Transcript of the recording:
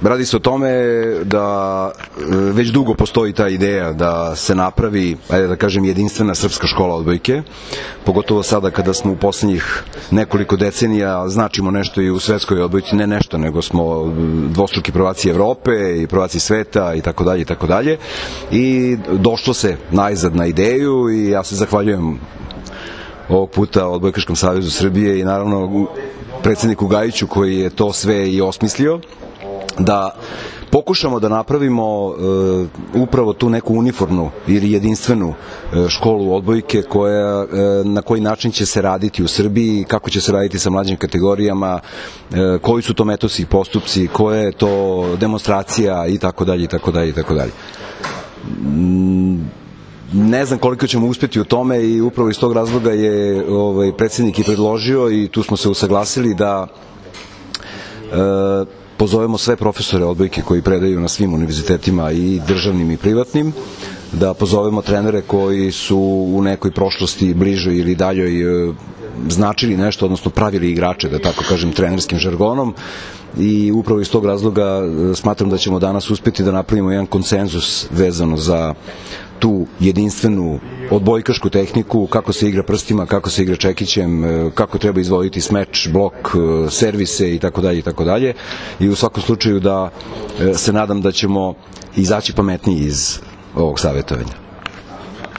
Radi se o tome da već dugo postoji ta ideja da se napravi, ajde da kažem, jedinstvena srpska škola odbojke, pogotovo sada kada smo u poslednjih nekoliko decenija značimo nešto i u svetskoj odbojci, ne nešto, nego smo dvostruki prvaci Evrope i prvaci sveta i tako dalje i tako dalje. I došlo se najzad na ideju i ja se zahvaljujem ovog puta Odbojkaškom savezu Srbije i naravno predsedniku Gajiću koji je to sve i osmislio, da pokušamo da napravimo upravo tu neku uniformnu ili jedinstvenu školu odbojke na koji način će se raditi u Srbiji, kako će se raditi sa mlađim kategorijama, koji su to metodski postupci, koja je to demonstracija i tako dalje i tako dalje i tako dalje. Ne znam koliko ćemo uspeti u tome i upravo iz tog razloga je predsednik i predložio i tu smo se usaglasili da pozovemo sve profesore odbojke koji predaju na svim univerzitetima i državnim i privatnim, da pozovemo trenere koji su u nekoj prošlosti bližoj ili daljoj značili nešto, odnosno pravili igrače, da tako kažem, trenerskim žargonom, i upravo iz tog razloga smatram da ćemo danas uspeti da napravimo jedan konsenzus vezano za tu jedinstvenu odbojkašku tehniku, kako se igra prstima, kako se igra čekićem, kako treba izvoditi smeč, blok, servise i tako dalje i tako dalje. I u svakom slučaju da se nadam da ćemo izaći pametniji iz ovog savjetovanja.